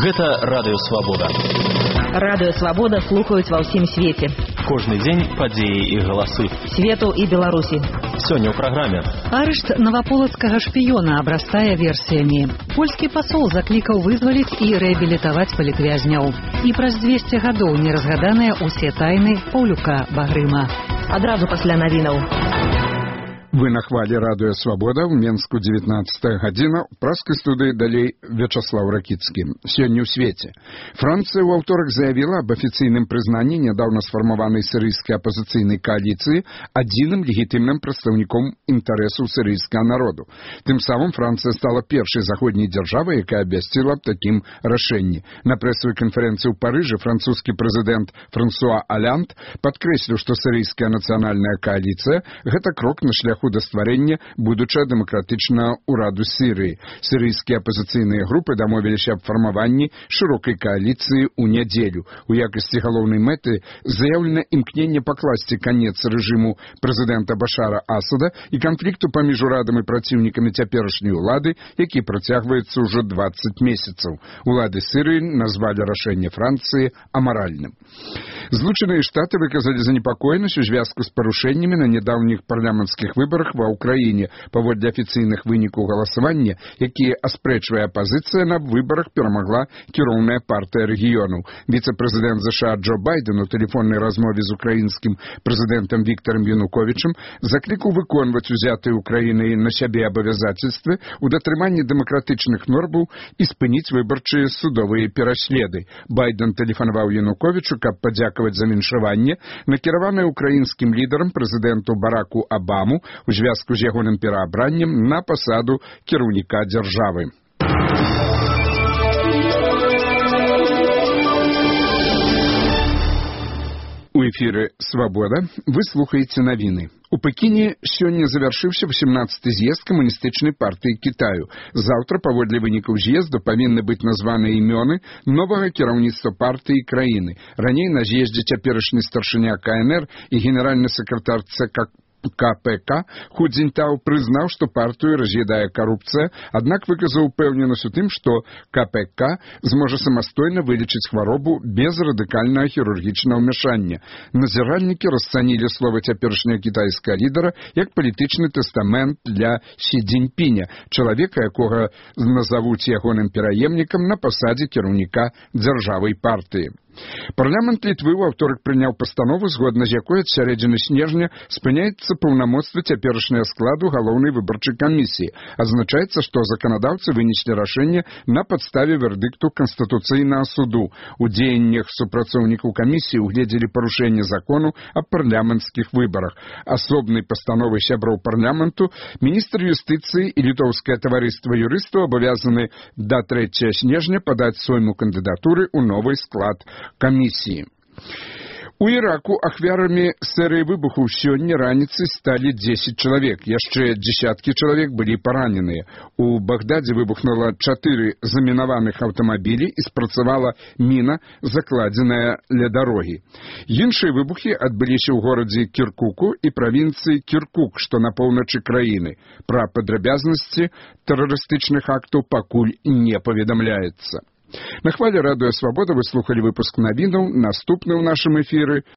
Гэта Радыё Свабода. Радыё Свабода слухаюць ва ўсім свеце. Кожны дзень падзеі і галасы. Свету і Беларусі. Сёння ў праграме. Арышт наваполацкага шпіёна абрастае версіямі. Польскі пасол заклікаў вызваліць і рэабілітаваць палітвязняў. І праз 200 гадоў не разгаданыя ўсе тайны Паўлюка Багрыма. Адразу пасля навінаў. Вы на хвале Радыё Свабода, в Менску 19 гадзіна, у праскай студыі далей Вячаслав Ракіцкі. Сёння ў свеце. Францыя ў аўторак заявіла аб афіцыйным прызнанні нядаўна сфармаванай сірыйскай апазіцыйнай кааліцыі адзіным легітымным прадстаўніком інтарэсаў сірыйскага народу. Тым самым Францыя стала першай заходняй дзяржавай, якая абвясціла аб такім рашэнні. На прэсавай канферэнцыі ў Парыжы французскі прэзідэнт Франсуа Алянт падкрэсліў, што сірыйская нацыянальная кааліцыя – гэта крок на шляху да стварэння будучага дэмакратычнага ўраду Сірыі. Сірыйскія апазіцыйныя групы дамовіліся аб фармаванні шырокай кааліцыі ў нядзелю. У якасці галоўнай мэты заяўлена імкненне пакласці канец рэжыму прэзідэнта Башара Асада і канфлікту паміж урадам і праціўнікамі цяперашняй улады, які працягваецца ўжо 20 месяцаў. Улады Сірыі назвалі рашэнне Францыі амаральным. Злучаныя Штаты выказалі занепакоенасць у звязку з парушэннямі на нядаўніх парламенцкіх выбарах ва ўкраіне паводле афіцыйных вынікаў галасавання, якія аспрэчвае апазіцыя, на выбарах перамагла кіроўная партыя рэгіёнаў. Віцэ-прэзідэнт ЗША Джо Байден у тэлефоннай размове з украінскім прэзідэнтам Віктарам Януковічам заклікаў выконваць узятыя Украінай на сябе абавязацельствы ў датрыманні дэмакратычных нормаў і спыніць выбарчыя судовыя пераследы. Байден тэлефанаваў Януковічу, каб падзякаваць за віншаванне, накіраванае украінскім лідарам прэзідэнту Бараку Абаму у звязку з ягоным пераабраннем на пасаду кіраўніка дзяржавы. У эфіры «Свабода» вы слухаеце навіны. У Пекіне сёння завяршыўся 18-й з'езд камуністычнай партыі Кітаю. Заўтра, паводле вынікаў з'езду, павінны быць названыя імёны новага кіраўніцтва партыі і краіны. Раней на з'ездзе цяперашні старшыня КНР і генеральны сакратар ЦК КПК Ху Цзіньтау прызнаў, што партыю раз'ядае карупцыя, аднак выказаў упэўненасць у тым, што КПК зможа самастойна вылечыць хваробу без радыкальнага хірургічнага ўмяшання. Назіральнікі расцанілі словы цяперашняга кітайскага лідара як палітычны тэстамент для Сі Цзіньпіня, чалавека, якога назавуць ягоным пераемнікам на пасадзе кіраўніка дзяржавай партыі. Парламент Літвы ў аўторак прыняў пастанову, згодна з якой ад сярэдзіны снежня спыняецца паўнамоцтва цяперашняга складу галоўнай выбарчай камісіі. Азначаецца, што заканадаўцы вынеслі рашэнне на падставе вердыкту Канстытуцыйнага суду. У дзеяннях супрацоўнікаў камісіі угледзелі парушэнне закону аб парламенцкіх выбарах. Асобнай пастановай сяброў парламенту міністр юстыцыі і літоўскае таварыства юрыстаў абавязаны да 3 снежня падаць сойму кандыдатуры ў новы склад камісіі. У Іраку ахвярамі серыі выбухаў сёння раніцай сталі 10 чалавек. Яшчэ дзесяткі чалавек былі параненыя. У Багдадзе выбухнула 4 замінаваных аўтамабілі і спрацавала міна, закладзеная ля дарогі. Іншыя выбухі адбыліся ў горадзе Кіркуку і правінцыі Кіркук, што на поўначы краіны. Пра падрабязнасці тэрарыстычных актаў пакуль не паведамляецца. На хвале Радыё Свабода вы слухалі выпуск навінаў. Наступны ў нашым эфіры